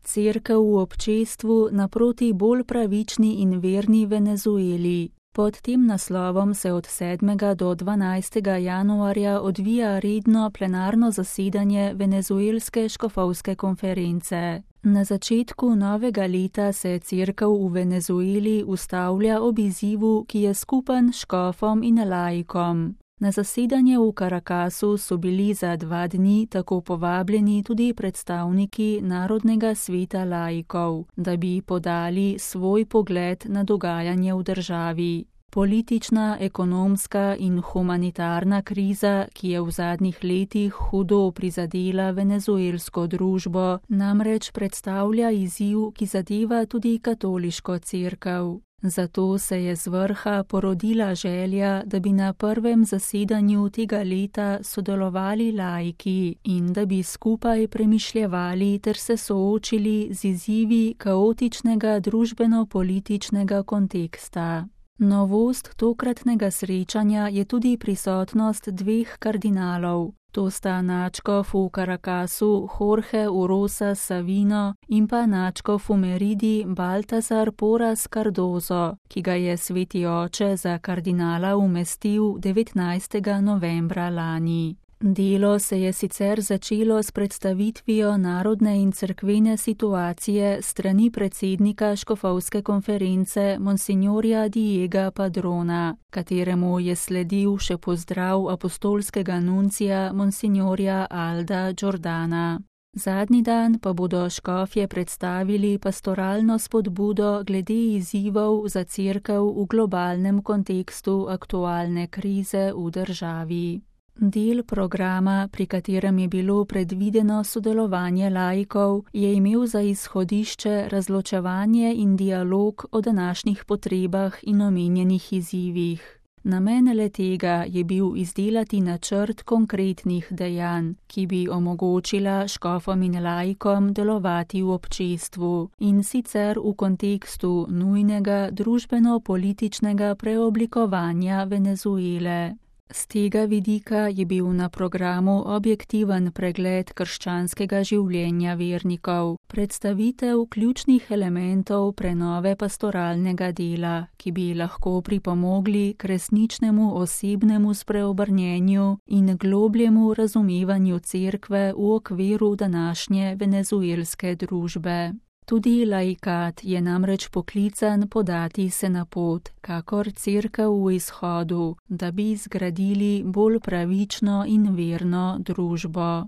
Cerkev v občestvu naproti bolj pravični in verni Venezueli. Pod tem naslovom se od 7. do 12. januarja odvija redno plenarno zasedanje Venezuelske škofovske konference. Na začetku novega leta se cerkev v Venezueli ustavlja ob izzivu, ki je skupen škofom in laikom. Na zasedanje v Caracasu so bili za 2 dni tako povabljeni tudi predstavniki Narodnega sveta laikov, da bi podali svoj pogled na dogajanje v državi. Politična, ekonomska in humanitarna kriza, ki je v zadnjih letih hudo prizadela venezuelsko družbo, namreč predstavlja izziv, ki zadeva tudi katoliško cerkev. Zato se je z vrha porodila želja, da bi na prvem zasedanju tega leta sodelovali laiki in da bi skupaj premišljevali ter se soočili z izzivi kaotičnega družbeno-političnega konteksta. Novost tokratnega srečanja je tudi prisotnost 2 kardinalov. To sta nadškof v Caracasu Jorge Urosa Savino in pa nadškof v Meridi Baltasar Porras Cardozo, ki ga je sveti oče za kardinala umestil 19. novembra lani. Delo se je sicer začelo s predstavitvijo narodne in cerkvene situacije strani predsednika škofovske konference monsignorja Diega Padrona, kateremu je sledil še pozdrav apostolskega nuncija monsignorja Alda Jordana. Zadnji dan pa bodo škofje predstavili pastoralno spodbudo glede izzivov za cerkev v globalnem kontekstu aktualne krize v državi. Del programa, pri katerem je bilo predvideno sodelovanje laikov, je imel za izhodišče razločevanje in dialog o današnjih potrebah in omenjenih izzivih. Namen le-tega je bil izdelati načrt konkretnih dejanj, ki bi omogočila škofom in laikom delovati v občestvu, in sicer v kontekstu nujnega družbeno-političnega preoblikovanja Venezuele. Z tega vidika je bil na programu objektiven pregled krščanskega življenja vernikov, predstavitev ključnih elementov prenove pastoralnega dela, ki bi lahko pripomogli k resničnemu osebnemu spreobrnjenju in globljemu razumevanju cerkve v okviru današnje venezuelske družbe. Tudi laikat je namreč poklican podati se na pot, kakor cerkev v izhodu, da bi zgradili bolj pravično in verno družbo.